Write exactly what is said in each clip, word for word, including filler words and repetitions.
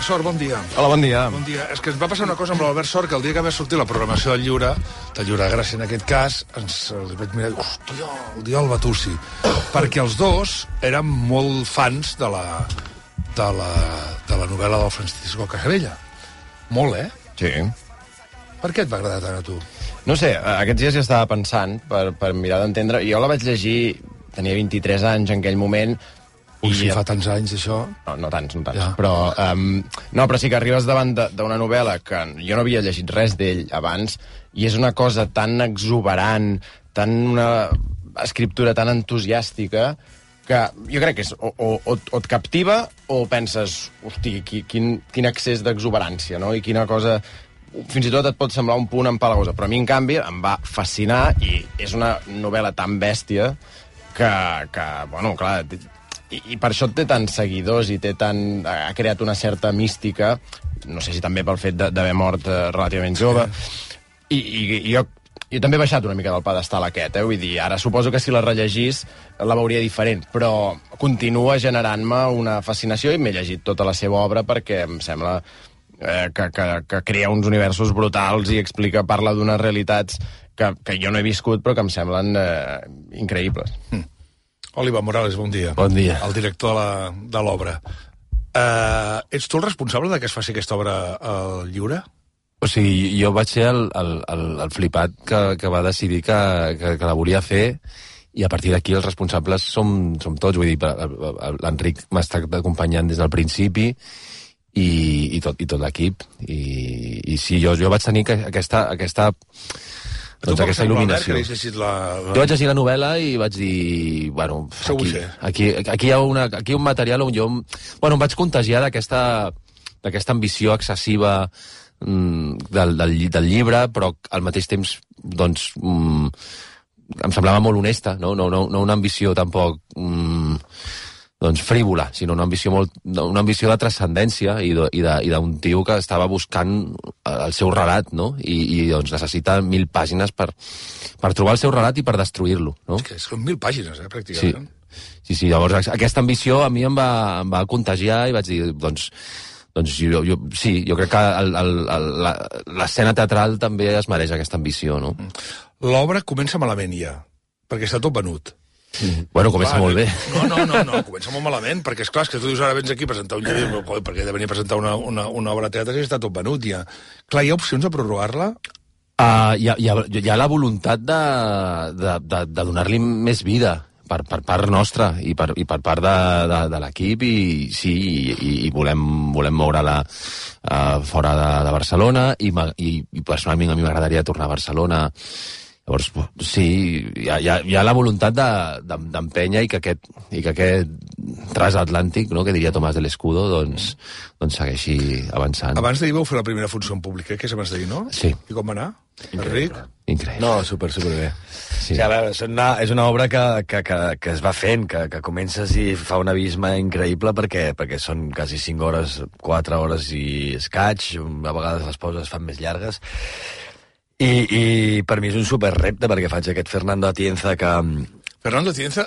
Sort, bon dia. Hola, bon dia. Bon dia. És que ens va passar una cosa amb l'Albert Sort, que el dia que va sortir la programació del Lliure, del Lliure de Gràcia en aquest cas, ens els vaig mirar, hòstia, el dia del Batussi. Perquè els dos eren molt fans de la, de la, de la novel·la del Francisco Casabella. Molt, eh? Sí. Per què et va agradar tant a tu? No sé, aquests dies ja estava pensant, per, per mirar d'entendre. Jo la vaig llegir, tenia vint-i-tres anys en aquell moment. Ui, si fa tants anys, això... No, no tants, no tants. Ja. Però, um, no, però sí que arribes davant d'una novel·la que jo no havia llegit res d'ell abans, i és una cosa tan exuberant, tan una escriptura tan entusiàstica, que jo crec que és, o, o, o et captiva o penses, hosti, quin, quin excés d'exuberància, no? I quina cosa... Fins i tot et pot semblar un punt empalagosa, però a mi, en canvi, em va fascinar, i és una novel·la tan bèstia que, que bueno, clar... I, i per això té tants seguidors i té tant, ha creat una certa mística, no sé si també pel fet d'haver mort eh, relativament jove, i, i, i jo, jo també he baixat una mica del pedestal aquest, eh? Vull dir, ara suposo que si la rellegís la veuria diferent, però continua generant-me una fascinació i m'he llegit tota la seva obra perquè em sembla eh, que, que, que crea uns universos brutals i explica, parla d'unes realitats que, que jo no he viscut però que em semblen eh, increïbles. Mm. Oliva Morales, bon dia. Bon dia. El director de l'obra. Uh, ets tu el responsable de que es faci aquesta obra al Lliure? O sigui, jo vaig ser el, el, el, el flipat que, que va decidir que, que, que la volia fer, i a partir d'aquí els responsables som, som tots. Vull dir, l'Enric m'ha estat acompanyant des del principi, i, i tot, i tot l'equip. I, i sí, jo, jo vaig tenir aquesta... aquesta doncs aquesta il·luminació. La, la... Jo vaig llegir la novel·la i vaig dir... Bueno, aquí, aquí, aquí hi ha una, aquí un material on jo... Bueno, em vaig contagiar d'aquesta d'aquesta ambició excessiva mm, del, del, del llibre, però al mateix temps, doncs, mm, em semblava molt honesta, no, no, no, no una ambició tampoc... Mm, doncs frívola, sinó una ambició molt, una ambició de transcendència i d'un tio que estava buscant el seu relat, no? I, i doncs necessita mil pàgines per, per trobar el seu relat i per destruir-lo, no? És que són mil pàgines, eh, pràcticament. Sí, sí, sí, llavors aquesta ambició a mi em va, em va contagiar i vaig dir, doncs, doncs jo, jo, sí, jo crec que l'escena teatral també es mereix aquesta ambició, no? L'obra comença malament ja, perquè està tot venut. Mm. Bueno, comença clar, molt bé. No, no, no, no, comença molt malament, perquè és clar, és que tu dius ara vens aquí a presentar un llibre, perquè he de venir a presentar una, una, una obra de teatre i està tot venut ja. Clar, hi ha opcions de prorrogar-la? Uh, hi, ha, hi, ha, hi ha la voluntat de, de, de, de donar-li més vida per, per part nostra i per, i per part de, de, de l'equip, i sí, i, i volem, volem moure-la uh, fora de, de Barcelona, i, i, i personalment a mi m'agradaria tornar a Barcelona. Llavors, sí, hi ha, hi ha, hi ha la voluntat d'empènyer i que aquest, i que aquest transatlàntic, no, que diria Tomàs de l'Escudo, doncs, doncs segueixi avançant. Abans d'ahir vau fer la primera funció en públic, eh? Que és abans d'ahir, no? Sí. I com va anar? Enric? Increïble. No, super, super bé. Sí. O sigui, a veure, és una, és una obra que, que, que, que es va fent, que, que comences i fa un abisme increïble perquè, perquè són quasi cinc hores, quatre hores i escaig, a vegades les pauses es fan més llargues. I, i per mi és un super repte perquè faig aquest Fernando Atienza que... Fernando Atienza,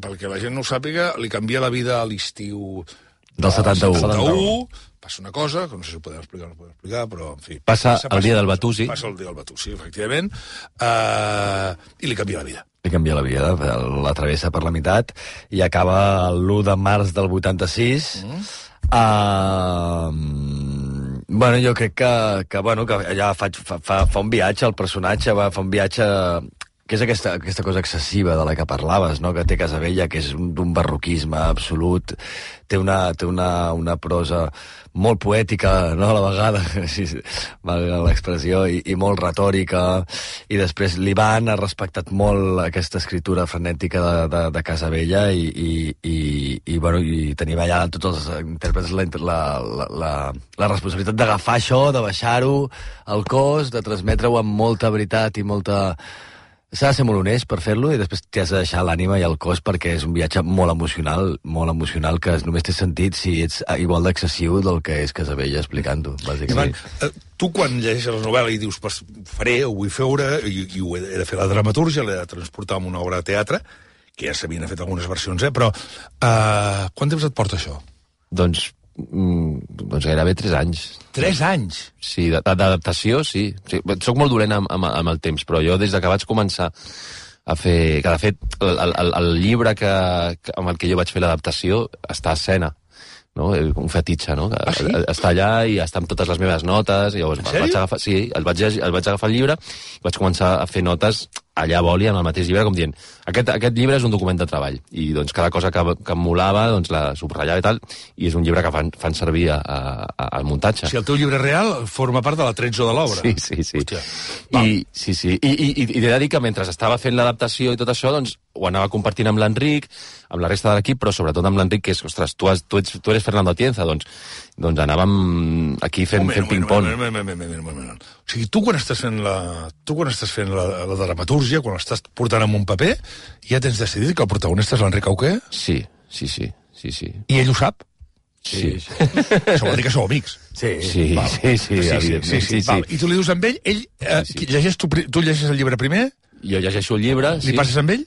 perquè la gent no ho sàpiga, li canvia la vida a l'estiu del setanta-u. setanta-u. Passa una cosa, que no sé si ho podem explicar o no ho podem explicar, però, en fi... Passa, passa el dia del Batussi. Passa el dia del Batussi, efectivament, uh, i li canvia la vida. Li canvia la vida, la travessa per la meitat, i acaba l'u de març del vuitanta-sis... Mm. Uh, bueno, jo crec que, que, bueno, que allà faig, fa, fa, fa un viatge al personatge, va, fa un viatge que és aquesta, aquesta cosa excessiva de la que parlaves, no? Que té Casabella, que és d'un barroquisme absolut, té una, té una, una prosa molt poètica, no?, a la vegada, si valga l'expressió, i, i molt retòrica, i després l'Ivan ha respectat molt aquesta escriptura frenètica de, de, de Casabella, i, i, i, i, bueno, i tenim allà tots els intèrprets la, la, la, la, la responsabilitat d'agafar això, de baixar-ho al cos, de transmetre-ho amb molta veritat i molta... S'ha de ser molt honest per fer-lo i després t'has de deixar l'ànima i el cos perquè és un viatge molt emocional, molt emocional, que només té sentit si ets igual d'excessiu del que és Casabella explicant-ho, bàsicament. Ivan, tu quan llegeixes la novel·la i dius, pues, faré, ho vull fer, i, i ho he de fer la dramatúrgia, l'he de transportar en una obra de teatre, que ja s'havien fet algunes versions, eh? Però uh, quant temps et porta això? Doncs doncs gairebé tres anys. Tres anys? Sí, d'adaptació, sí. sí. Soc molt dolent amb, amb, amb el temps, però jo des que vaig començar a fer... Que, de fet, el, el, el llibre que, que, amb el que jo vaig fer l'adaptació està a escena, no? Un fetitxe, no? Ah, sí? Està allà i està amb totes les meves notes. I llavors en vaig agafar, sí, el vaig, el vaig agafar el llibre i vaig començar a fer notes allà a boli, en el mateix llibre, com dient, aquest, aquest llibre és un document de treball, i doncs cada cosa que, que em molava, doncs la subratllava i tal, i és un llibre que fan, fan servir a, a, al muntatge. Si el teu llibre real forma part de la tretzo de l'obra. Sí, sí, sí. I, sí, sí. I, i, i he de dir que mentre estava fent l'adaptació i tot això, doncs ho anava compartint amb l'Enric, amb la resta de l'equip, però sobretot amb l'Enric, que és, ostres, tu, has, tu, ets, tu eres Fernando Atienza, doncs, doncs anàvem aquí fent, fent ping-pong. O sigui, tu quan estàs fent la, tu quan estàs fent la, la dramatúrgia, quan estàs portant amb un paper, ja tens decidit que el protagonista és l'Enric Auqué? Sí, sí, sí, sí, sí. I ell ho sap? Sí. sí. Això vol dir que sou amics. Sí, sí, val. sí, sí, sí, sí, sí, sí, sí. I tu li dius amb ell, ell eh, sí, sí. Llegeix tu, tu llegeixes el llibre primer? Jo llegeixo el llibre, sí. Li passes amb ell?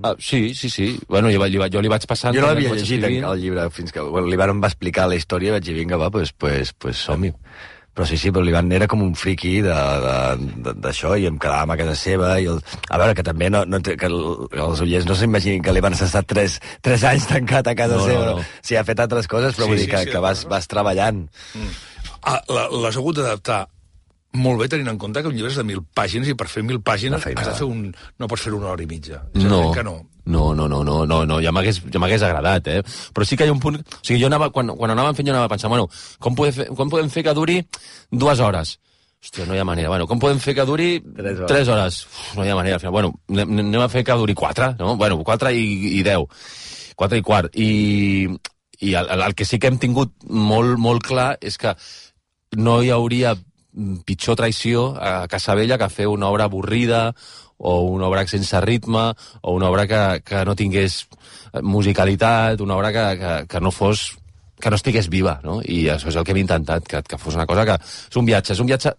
Ah, sí, sí, sí. Bueno, jo, jo, jo li vaig passant... Jo no l'havia llegit el llibre fins que bueno, li van explicar la història i vaig dir, vinga, va, doncs pues, pues, som-hi. Però sí, sí, però l'Ivan era com un friqui d'això i em quedàvem a casa seva i el... a veure, que també no, no, que el, els oients no s'imaginin que l'Ivan s'ha estat tres, tres anys tancat a casa no, seva. No, no. Sí, ha fet altres coses, però sí, vull dir sí, que, sí, que vas, vas treballant. Mm. Ah, l'has hagut d'adaptar molt bé, tenint en compte que un llibre és de mil pàgines i per fer mil pàgines has de fer un... no pots fer una hora i mitja. No, que no. No, no, no, no, no, no. Ja m'hagués ja agradat, eh? Però sí que hi ha un punt... O sigui, jo anava, quan, quan anàvem fent, jo anava pensant, bueno, com podem fer, com podem fer que duri dues hores? Hòstia, no hi ha manera. Bueno, com podem fer que duri tres hores? Tres hores? Uf, no hi ha manera. Al final, bueno, anem a fer que duri quatre, no? Bueno, quatre i, i deu. Quatre i quart. I, i el, el que sí que hem tingut molt, molt clar és que no hi hauria pitjor traïció a Casabella que fer una obra avorrida o una obra sense ritme o una obra que, que no tingués musicalitat, una obra que, que, que no fos que no estigués viva, no? I això és el que hem intentat, que, que fos una cosa que... És un viatge, és un viatge...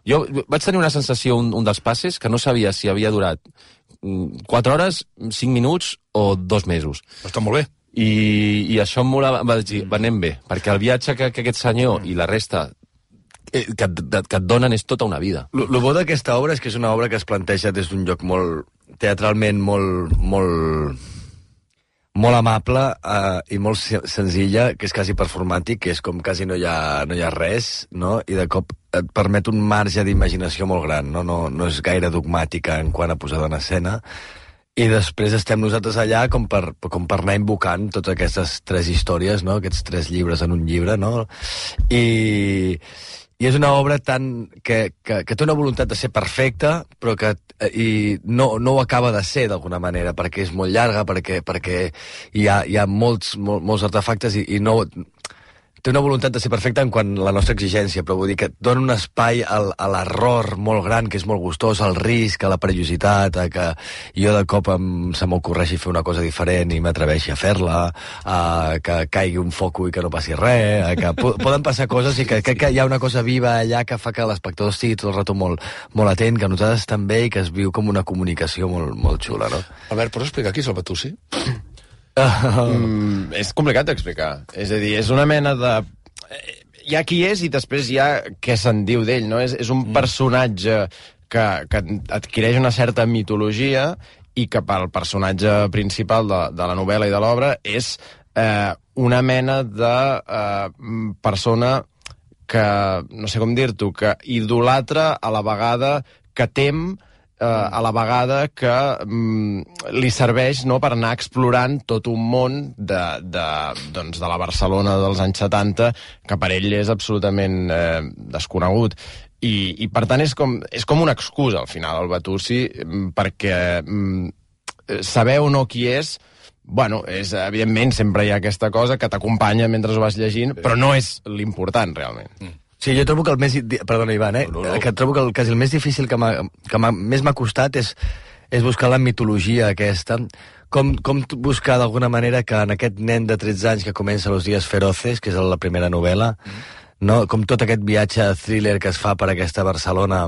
Jo vaig tenir una sensació, un, un dels passes, que no sabia si havia durat quatre hores, cinc minuts o dos mesos. Està molt bé. I, i això em molava, va dir, va, anem bé, perquè el viatge que, que aquest senyor i la resta que et, que et donen és tota una vida. El bo d'aquesta obra és que és una obra que es planteja des d'un lloc molt teatralment molt molt, molt amable eh, i molt senzilla, que és quasi performàtic, que és com quasi no hi ha, no hi ha res, no? I de cop et permet un marge d'imaginació molt gran, no? No, no és gaire dogmàtica en quant a posada en escena. I després estem nosaltres allà com per, com per anar invocant totes aquestes tres històries, no? Aquests tres llibres en un llibre, no? I... I és una obra tan que, que, que té una voluntat de ser perfecta, però que i no, no ho acaba de ser d'alguna manera, perquè és molt llarga, perquè, perquè hi ha, hi ha molts, mol, molts artefactes i, i no... Té una voluntat de ser perfecta en quant a la nostra exigència, però vull dir que dona un espai al, a l'error molt gran, que és molt gustós, al risc, a la perillositat, a que jo de cop em, se m'ocorreixi fer una cosa diferent i m'atreveixi a fer-la, a que caigui un foco i que no passi res, a que po poden passar coses i que crec que hi ha una cosa viva allà que fa que l'espectador estigui tot el rato molt, molt atent, que nosaltres també, i que es viu com una comunicació molt, molt xula, no? Albert, pots explicar qui és el Batussi? Uh, mm, és complicat d'explicar. És a dir, és una mena de... Hi ha qui és i després hi ha què se'n diu d'ell, no? És, és un personatge que, que adquireix una certa mitologia i que pel personatge principal de, de la novel·la i de l'obra és eh, una mena de eh, persona que, no sé com dir-t'ho, que idolatra a la vegada que tem, Uh, a la vegada que um, li serveix, no, per anar explorant tot un món de, de, doncs, de la Barcelona dels anys setanta que per ell és absolutament eh, desconegut. I, i per tant és com, és com una excusa al final el Batussi, perquè um, saber o no qui és, bueno, és, evidentment sempre hi ha aquesta cosa que t'acompanya mentre ho vas llegint, però no és l'important realment. Mm. Sí, jo trobo que el més... Perdona, Ivan, eh? No, no, no. Que trobo que el, quasi el més difícil que, que més m'ha costat és, és buscar la mitologia aquesta. Com, com buscar d'alguna manera que en aquest nen de tretze anys que comença Los días feroces, que és la primera novel·la, mm. no? Com tot aquest viatge thriller que es fa per aquesta Barcelona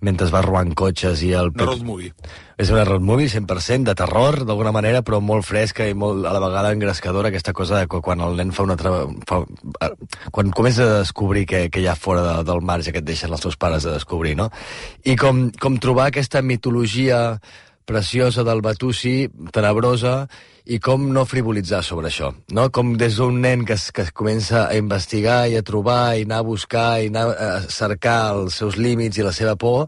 mentre es va robant cotxes i el... Una road movie. És una road movie cent per cent, de terror, d'alguna manera, però molt fresca i molt, a la vegada engrescadora, aquesta cosa de quan el nen fa una... Tra... Fa... Quan comença a descobrir que, que hi ha fora de, del marge que et deixen els seus pares de descobrir, no? I com, com trobar aquesta mitologia preciosa del Batusi, tenebrosa, i com no frivolitzar sobre això, no? Com des d'un nen que es, que es comença a investigar i a trobar i anar a buscar i anar a cercar els seus límits i la seva por,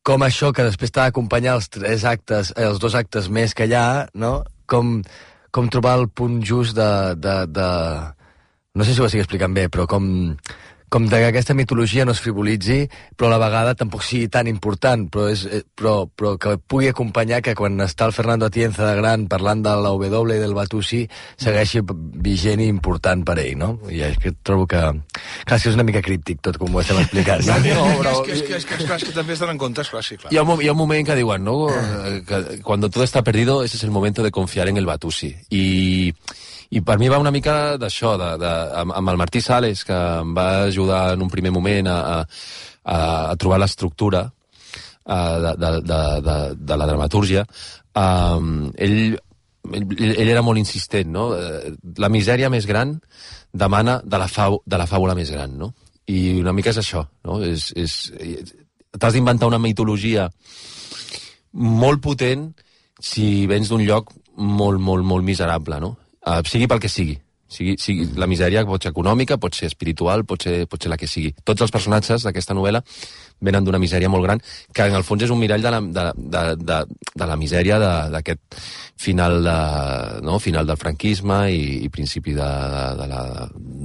com això que després t'ha d'acompanyar els tres actes, eh, els dos actes més que hi ha, no? Com, com trobar el punt just de, de, de... No sé si ho estic explicant bé, però com... com que aquesta mitologia no es frivolitzi, però a la vegada tampoc sigui tan important, però, és, però, però que pugui acompanyar que quan està el Fernando Atienza de gran parlant de la W i del Batusi segueixi vigent i important per ell, no? I és que trobo que... Clar, és una mica críptic tot com ho estem explicant. No, no, però... És que, és, que, és, que, és, que, és que també es donen compte, és clar, sí, clar. Hi ha, un, hi ha un moment que diuen, ¿no? Que cuando todo está perdido, ese es el momento de confiar en el Batusi. I... I per mi va una mica d'això, de, de, amb, amb el Martí Sales, que em va ajudar en un primer moment a, a, a trobar l'estructura de, de, de, de, de la dramatúrgia. Um, ell, ell, ell era molt insistent, no? La misèria més gran demana de la, fau, de la fàbula més gran, no? I una mica és això, no? És, és, t'has d'inventar una mitologia molt potent si vens d'un lloc molt, molt, molt miserable, no? Uh, sigui pel que sigui. sigui, sigui. La misèria pot ser econòmica, pot ser espiritual, pot ser, pot ser la que sigui. Tots els personatges d'aquesta novel·la venen d'una misèria molt gran, que en el fons és un mirall de la, de, de, de, de la misèria d'aquest final, de, no? final del franquisme i, i principi de, de, de la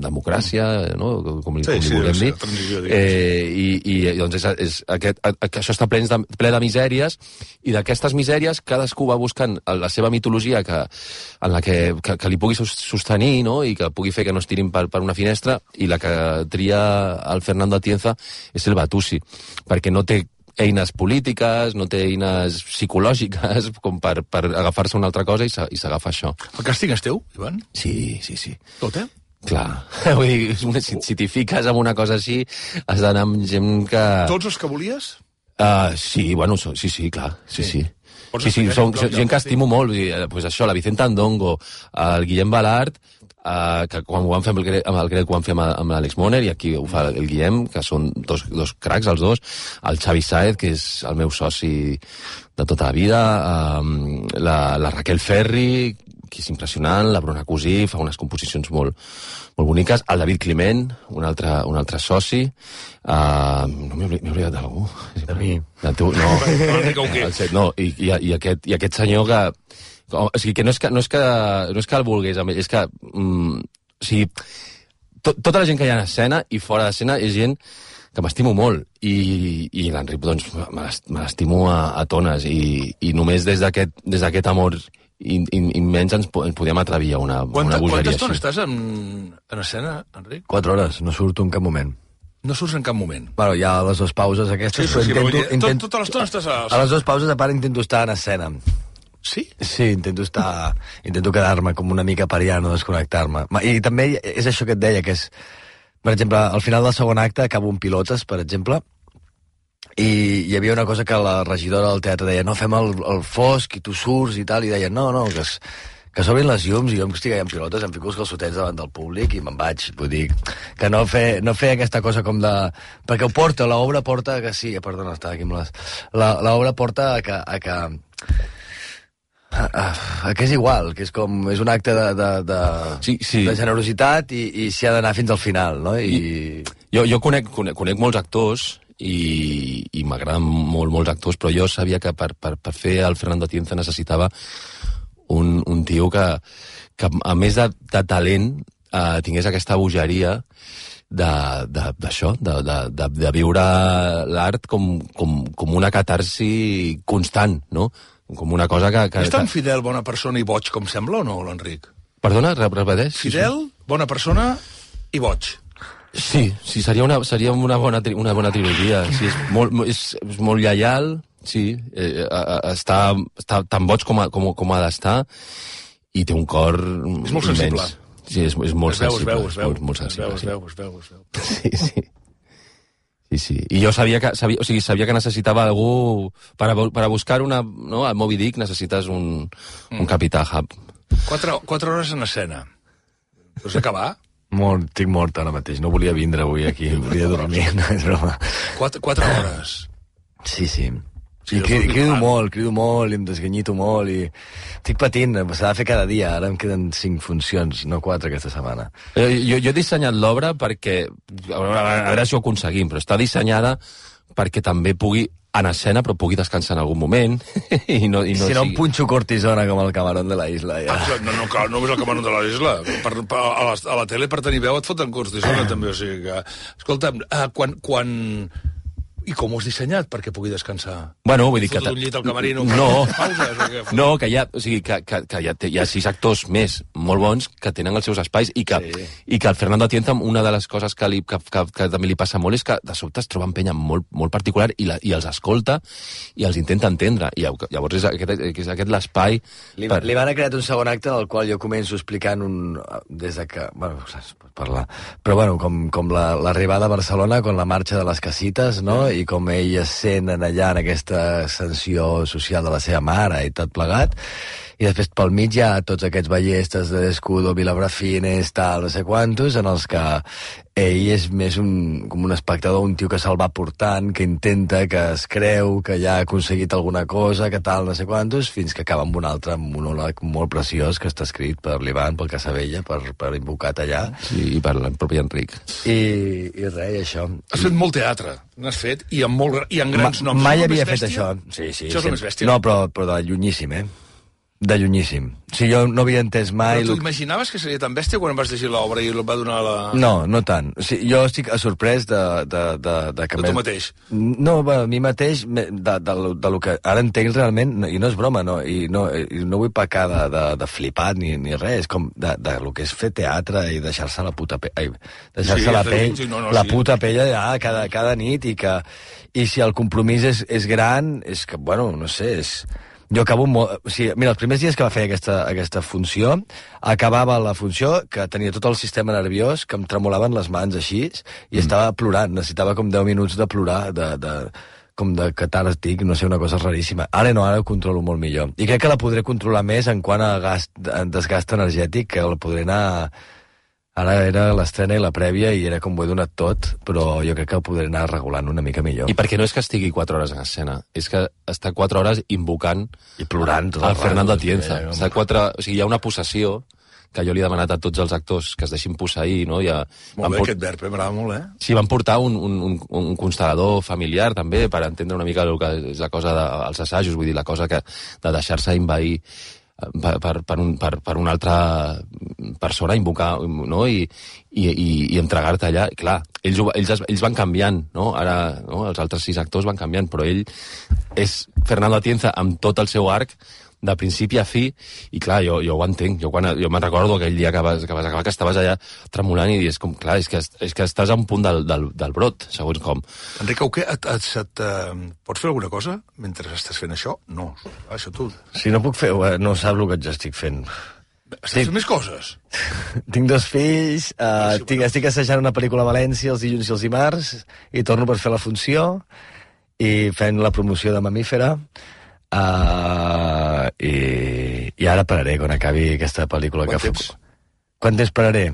democràcia, no? com, sí, com li sí, vulguem sí, dir. Eh, i, I doncs és, és aquest, això està ple de, ple de misèries, i d'aquestes misèries cadascú va buscant la seva mitologia que, en la que, que, que li pugui sostenir, no? I que pugui fer que no es tirin per, per una finestra, i la que tria el Fernando Atienza és el Batusi, perquè no té eines polítiques, no té eines psicològiques com per, per agafar-se una altra cosa, i s'agafa això. El càsting és teu, Ivan? Sí, sí, sí. Tot, eh? Clar. Vull dir, si, si t'hi fiques amb una cosa així, has d'anar amb gent que... Tots els que volies? Uh, sí, bueno, so, sí, sí, clar, sí, sí. Sí, sí, són gent que estimo molt, vull dir, pues això, la Vicenta Andongo, el Guillem Balart, uh, que quan ho vam fer amb el, amb el Grec ho vam fer amb l'Àlex Moner, i aquí ho fa el Guillem, que són dos, dos cracs els dos, el Xavi Sáez, que és el meu soci de tota la vida, um, la, la Raquel Ferri, que és impressionant, la Bruna Cosí, fa unes composicions molt, molt boniques, el David Climent, un altre, un altre soci, uh, no m'he oblidat d'algú. De mi. De tu, no. el set, no, i, i, i, aquest, i aquest senyor que... O sigui, que no és que, no és que, no és que el vulgués, és que... Mm, o sigui, to, tota la gent que hi ha en escena i fora d'escena és gent que m'estimo molt, i, i l'Enric, doncs, me l'estimo a, a tones, i, i només des d'aquest des d'aquest amor immens ens, ens podíem atrevir a una, Quanta, una bogeria Quanta estona així. estàs en, en escena, Enric? Quatre hores, no surto en cap moment. No surts en cap moment. Bueno, hi ha les dues pauses aquestes, Sí, sí, sí, però però intento... tot, intento tota l'estona estàs a... A les dues pauses, a part, intento estar en escena. Sí? Sí, intento estar... Intento quedar-me com una mica periano, desconnectar-me. I també és això que et deia, que és... Per exemple, al final del segon acte acabo un pilotes, per exemple, i hi havia una cosa que la regidora del teatre deia, no, fem el, el fosc i tu surts i tal, i deia, no, no, que, es, que s'obrin les llums, i jo em estic allà en pilotes, em fico els calçotets davant del públic i me'n vaig, vull dir, que no fer, no fer aquesta cosa com de... Perquè ho porta, l'obra porta que sí, perdona, estava aquí amb les... L'obra porta a que... A que a, a, a que és igual, que és com... És un acte de, de, de, sí, sí. de generositat, i, i s'hi ha d'anar fins al final, no? I... I, jo jo conec, conec, conec molts actors, i, i m'agraden molt, molts actors, però jo sabia que per, per, per fer el Fernando Atienza necessitava un, un tio que, que a més de, de talent, eh, tingués aquesta bogeria d'això, de, de, de, de, de viure l'art com, com, com una catarsi constant, no? Com una cosa que... que és tan fidel, bona persona i boig com sembla o no, l'Enric? Perdona, repeteix? Fidel, bona persona i boig. Sí, sí, seria una, seria una, bona, una bona trilogia. Sí, és, molt, és, és molt lleial, sí, eh, està, està tan boig com, a, com, com ha d'estar, i té un cor és molt immens. sensible. Sí, és, és molt es veu, sensible. Es veu, es veu, molt, molt sensible, es veu, es veu, es veu. Sí, sí. Sí, sí. I jo sabia que, sabia, o sigui, sabia que necessitava algú... Per a, per a buscar una... No, a Moby Dick necessites un, mm. un capità hub. Quatre, quatre hores en escena. Vols acabar? Mort, estic mort ara mateix. No volia vindre avui aquí. Volia dormir. No, és broma. Quatre, quatre hores. Sí, sí. Sí, I crido, crido molt, crido molt, i em desganyito molt, i estic patint, s'ha de fer cada dia, ara em queden cinc funcions, no quatre aquesta setmana. Jo, jo, jo he dissenyat l'obra perquè, a veure, a veure si ho aconseguim, però està dissenyada perquè també pugui en escena, però pugui descansar en algun moment. I no, i no si no sigui... em punxo cortisona com el camarón de la isla, ja. Ah, no, no, clar, no només el camarón de la isla. Per, per, a, la, a la tele, per tenir veu, et foten cortisona, també, o sigui que... Escolta'm, uh, quan... quan... I com ho has dissenyat perquè pugui descansar? Bueno, vull dir que... Fot un llit al camerino... No, pauses, o què? no, que hi ha, o sigui, que, que, que hi, ha, hi ha sis actors més molt bons que tenen els seus espais i que, sí. i que el Fernando Atienza, una de les coses que, li, que, que, que també li passa molt és que de sobte es troba en penya molt, molt particular i, la, i els escolta i els intenta entendre. I llavors és aquest, és aquest l'espai... Li, per... li van a creat un segon acte del qual jo començo explicant un... des de que... Bueno, saps, pot parlar... Però bueno, com, com l'arribada la, a Barcelona, con la marxa de les casites, no?, i com ell es sent allà en aquesta ascensió social de la seva mare i tot plegat, i després pel mig hi ha tots aquests ballestes de Descudo, Vilabrafines, tal, no sé quantos, en els que ell és més un, com un espectador, un tio que se'l va portant, que intenta, que es creu, que ja ha aconseguit alguna cosa, que tal, no sé quantos, fins que acaba amb un altre monòleg molt preciós que està escrit per l'Ivan, pel Casabella, per, per Invocat allà. Sí, i per el propi Enric. I, i res, això. Has fet molt teatre, n'has fet, i amb, molt, i amb grans Ma, noms. Mai havia fet això. Sí, sí, això és el més bèstia. No, però, però de llunyíssim, eh? De llunyíssim. O sigui, jo no havia entès mai... Però tu imaginaves que seria tan bèstia quan em vas llegir l'obra i el va donar la... No, no tant. O sigui, jo estic sorprès de... De, de, de, que de tu mateix? No, a mi mateix, de, de, de, de lo que ara entenc realment, i no és broma, no, i no, i no vull pecar de, de, de flipat ni, ni res, és com de, de lo que és fer teatre i deixar-se la puta pell... Ai, deixar-se sí, la pell, sí, no, no, la sí. puta pell allà cada, cada nit, i que... I si el compromís és, és gran, és que, bueno, no sé, és... Jo acabo molt... O sigui, mira, els primers dies que va fer aquesta, aquesta funció, acabava la funció, que tenia tot el sistema nerviós, que em tremolaven les mans així, i mm. estava plorant, necessitava com deu minuts de plorar, de, de, com de catàrtic, no sé, una cosa raríssima. Ara no, ara ho controlo molt millor. I crec que la podré controlar més en quant a gast, desgast energètic, que la podré anar... Ara era l'estrena i la prèvia i era com ho he donat tot, però jo crec que ho podré anar regulant una mica millor. I perquè no és que estigui quatre hores en escena, és que està quatre hores invocant i plorant tot el Fernando Atienza. Està quatre... O sigui, hi ha una possessió que jo li he demanat a tots els actors que es deixin posseir, no? Ja molt bé, port... aquest verb, m'agrada molt, eh? Sí, van portar un, un, un, un constel·lador familiar, també, per entendre una mica el que és la cosa dels de, assajos, vull dir, la cosa que, de deixar-se envair per, per, per, un, per, per una altra persona, invocar, no? I, i, i, i entregar-te allà. I clar, ells, ells, ells van canviant, no? Ara, no? Els altres sis actors van canviant, però ell és Fernando Atienza amb tot el seu arc, de principi a fi, i clar, jo, jo ho entenc. Jo, quan, jo me'n recordo aquell dia que vas, que vas acabar, que estaves allà tremolant i dius, com, clar, és que, és que estàs a un punt del, del, del brot, segons com. Enric Auqué, et, et, et, uh, pots fer alguna cosa mentre estàs fent això? No, això tu... Si no puc fer, no sap el que jo estic fent. Estàs fent més coses? Tinc dos fills, uh, sí, tinc, estic assajant una pel·lícula a València els dilluns i els dimarts, i torno per fer la funció, i fent la promoció de Mamífera, Uh, i, i ara pararé quan acabi aquesta pel·lícula. Quant que temps? Quant temps pararé?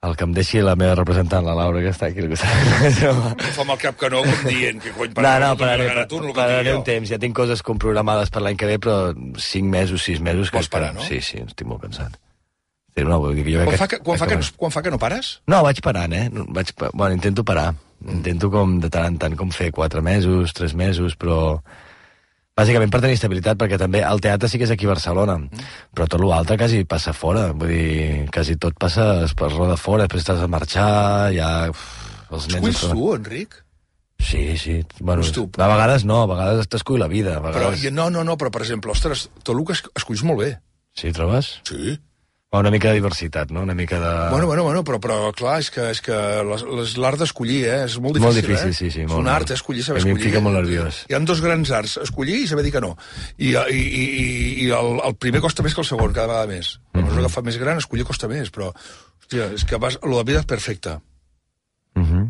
El que em deixi la meva representant, la Laura, que està aquí. Que està... Fa amb el cap que no, com dient que cony pararé. No, no, pararé, pararé, tu, no pararé un temps. Ja tinc coses com programades per l'any que ve, però cinc mesos, sis mesos... Vols parar, no? Sí, sí, estic molt cansat. Sí, no, vull dir que jo quan, fa que, quan, fa que no, quan fa que no pares? No, vaig parant, eh? Vaig, bueno, intento parar. Intento com de tant en tant com fer quatre mesos, tres mesos, però... Bàsicament per tenir estabilitat, perquè també el teatre sí que és aquí a Barcelona, mm. però tot l'altre quasi passa fora, vull dir, quasi tot passa per roda fora, després t'has de marxar, ja... Uf, els nens... Esculls tu, Enric? Sí, sí, bueno, tu, a vegades no, a vegades t'escull la vida, a vegades... Però, no, no, no, però per exemple, ostres, tot el que esculls molt bé. Sí, trobes? Sí. Una mica de diversitat, no? Una mica de... Bueno, bueno, bueno, però, però clar, és que, és que és l'art d'escollir, eh? És molt difícil, molt difícil, eh? sí, sí. És molt, un art, eh? Escollir, saber escollir. A mi escollir. em fica molt nerviós. Hi ha dos grans arts, escollir i saber dir que no. I, i, i, i el, el primer costa més que el segon, cada vegada més. A mesura que fa més gran, escollir costa més, però, hòstia, és que vas, la vida és perfecta. Mhm.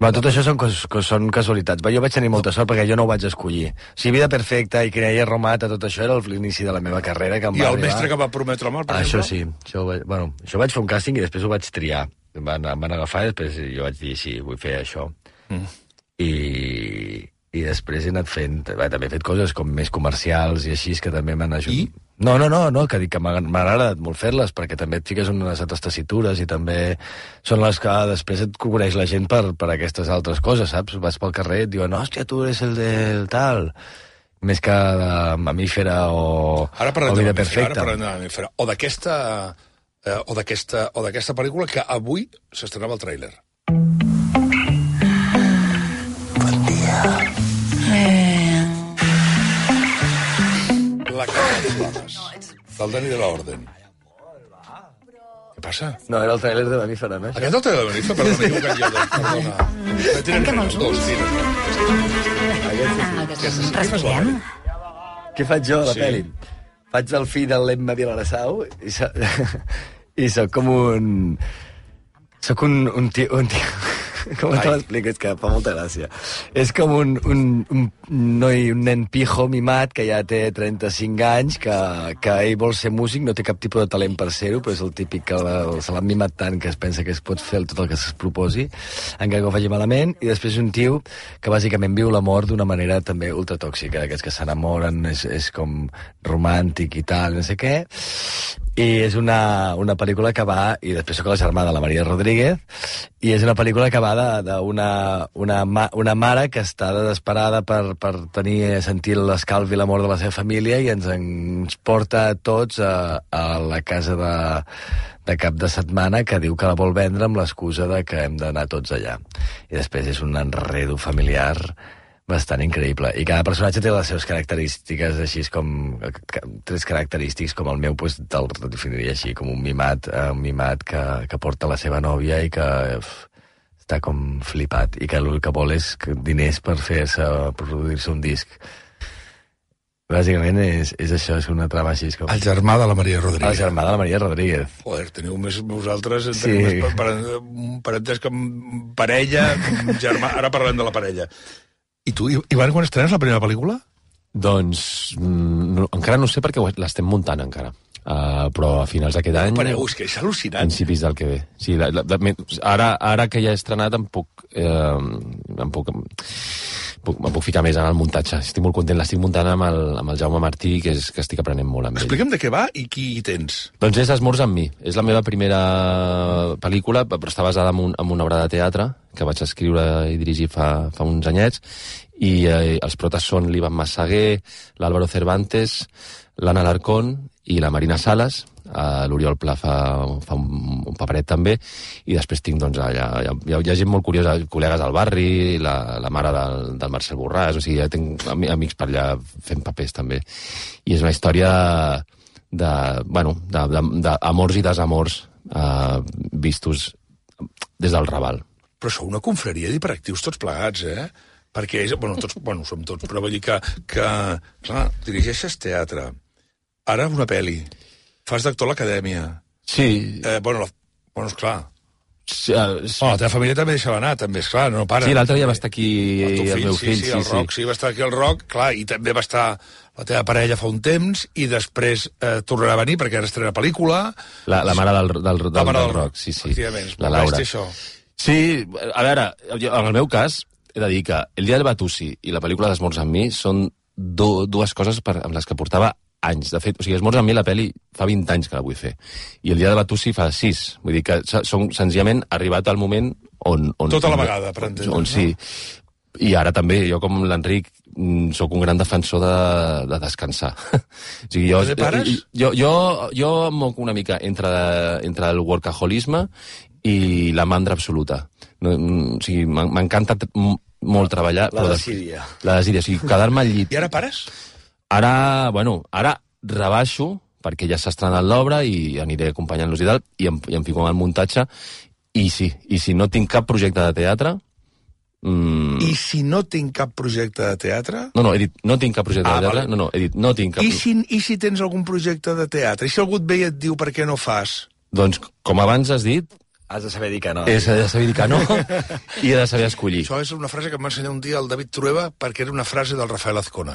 Va, tot això són, cos, són casualitats. Va, jo vaig tenir molta sort perquè jo no ho vaig escollir. O sigui, Vida perfecta i Creia Romata, tot això era l'inici de la meva carrera. Que em I va el arribar... mestre que va prometre mal, per ah, exemple? Això sí. Això, vaig, bueno, això vaig fer un càsting i després ho vaig triar. Em van, em van agafar i després jo vaig dir, sí, vull fer això. Mm. I, I després he anat fent... Va, també he fet coses com més comercials i així, que també m'han ajudat. I? No, no, no, no, que dic que m'ha agradat molt fer-les, perquè també et fiques unes altres tessitures i també són les que després et coneix la gent per, per aquestes altres coses, saps? Vas pel carrer i et diuen, hòstia, tu eres el del tal... Més que de mamífera o, ara o Vida perfecta. Ara parlem de mamífera. O d'aquesta eh, o d'aquesta o d'aquesta pel·lícula que avui s'estrenava el tràiler. Bon dia. Eh... La casa de Flames, del Dani de la Orden. Què passa? No, era el tràiler de Mamífera, no? Aquest és el tràiler de Mamífera? Perdona, m'he equivocat jo. Perdona. Tanquem els ulls. Dos, Respirem. Què faig jo a la Sí. pel·li? Faig el fill del Lemma Vilassau i, so... i soc com un... Soc un, un tio... Un tio... Com te l'explico? És que fa molta gràcia. És com un, un, un noi, un nen pijo mimat que ja té trenta-cinc anys, que, que ell vol ser músic, no té cap tipus de talent per ser-ho, però és el típic que la, se l'ha mimat tant que es pensa que es pot fer tot el que es proposi, encara que ho faci malament, i després un tio que bàsicament viu l'amor d'una manera també ultratòxica, d'aquests que s'enamoren, és, és com romàntic i tal, no sé què, i és una, una pel·lícula que va, i després soc la germana de la Maria Rodríguez, i és una pel·lícula que va d'una una, una, una mare que està desesperada per, per tenir, sentir l'escalf i l'amor de la seva família i ens, ens porta a tots a, a la casa de, de cap de setmana que diu que la vol vendre amb l'excusa de que hem d'anar tots allà. I després és un enredo familiar bastant increïble. I cada personatge té les seves característiques, així com... Tres característics, com el meu, doncs, te'l definiria així, com un mimat, eh, un mimat que, que porta la seva nòvia i que uf, està com flipat, i que el que vol és diners per fer-se, per produir-se un disc. Bàsicament és, és això, és una trama així com... El germà de la Maria Rodríguez. El germà de la Maria Rodríguez. Joder, teniu més vosaltres, Sí. teniu més per, per, per entès que parella, germà... Ara parlem de la parella. I tu, Ivan, quan estrenes la primera pel·lícula? Doncs no, encara no sé perquè l'estem muntant encara. Uh, però a finals d'aquest any... Pareu, és que és al·lucinant. Principis del que ve. Sí, la, la, la, ara, ara que ja he estrenat em puc, eh, em puc, puc, em puc ficar més en el muntatge. Estic molt content, l'estic muntant amb el, amb el Jaume Martí, que, és, que estic aprenent molt amb ell. Explica'm de què va i qui hi tens. Doncs és Esmorz amb mi. És la meva primera pel·lícula, però està basada en, un, en una obra de teatre que vaig escriure i dirigir fa, fa uns anyets, i eh, els protes són l'Ivan Massaguer, l'Álvaro Cervantes, l'Anna Alarcón i la Marina Salas. Uh, l'Oriol Pla fa, fa un, un paperet també, i després tinc, doncs, allà, hi, ha, hi ha gent molt curiosa, col·legues del barri, la, la mare del, del Marcel Borràs, o sigui, ja tinc amics per allà fent papers també. I és una història de, bueno, d'amors i desamors uh, vistos des del Raval. Però sou una confraria d'hiperactius tots plegats, eh? Perquè, bueno, tots, bueno, som tots, però vull dir que, que clar, dirigeixes teatre, ara una pel·li, fas d'actor a l'acadèmia. Sí. Eh, bueno, la, bueno, esclar. Sí, uh, sí. Oh, la teva família també deixava anar, també, esclar, no para. Sí, l'altre dia va estar aquí el, el, fill, el meu fill. Sí, sí, el sí, Roc, sí. sí, va estar aquí el Roc, clar, i també va estar la teva parella fa un temps, i després eh, tornarà a venir perquè ara estrena pel·lícula. La, la mare del, del, del, la mare del Roc, sí, sí. La Laura. Això. Sí, a veure, jo, en el meu cas, he de dir que El dia del Batussi i la pel·lícula d'Esmorz amb mi són do, dues coses per, amb les que portava anys. De fet, o sigui, Esmorz amb mi, la pel·li, fa vint anys que la vull fer. I El dia del Batussi fa sis. Vull dir que som senzillament arribat al moment on... on tota la vegada, per entendre. On, sí. I ara també, jo com l'Enric, sóc un gran defensor de, de descansar. O sigui, jo, de pares? Jo, jo, jo em moc una mica entre, entre el workaholisme i la mandra absoluta. No, o sigui, m'encanta molt treballar. La desídia. La desídia, o sigui, quedar-me al llit. I ara pares? Ara, bueno, ara rebaixo, perquè ja s'ha estrenat l'obra i aniré acompanyant-los i tal, i em, i em fico en el muntatge, i sí, i si no tinc cap projecte de teatre... Mm... I si no tinc cap projecte de teatre? No, no, he dit, no tinc cap projecte ah, de teatre, vale. no, no, he dit, no tinc cap... I si, I si tens algun projecte de teatre? I si algú et ve i et diu per què no fas? Doncs, com abans has dit... Has de saber dir que no. Has de saber dir que no i he de saber escollir. Això és una frase que em va ensenyar un dia el David Trueba perquè era una frase del Rafael Azcona,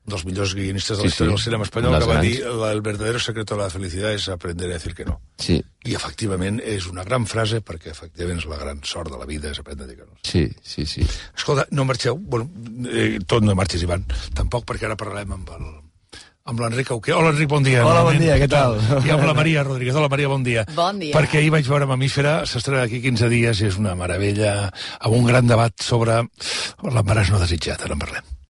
un dels millors guionistes de la sí, història sí. del cinema espanyol, Les que va grans. dir el verdadero secreto de la felicidad es aprender a decir que no. Sí. I efectivament és una gran frase perquè efectivament és la gran sort de la vida, és aprendre a dir que no. Sí, sí, sí. Escolta, no marxeu, bueno, eh, tot no marxis, Ivan, tampoc perquè ara parlarem amb el amb l'Enric Auqué. Hola, Enric, bon dia. Hola, bon dia, què tal? I amb la Maria Rodríguez. Hola, Maria, bon dia. Bon dia. Perquè ahir vaig veure Mamífera, s'estrena d'aquí quinze dies i és una meravella, amb un gran debat sobre l'embaràs no desitjat. Ara en parlem.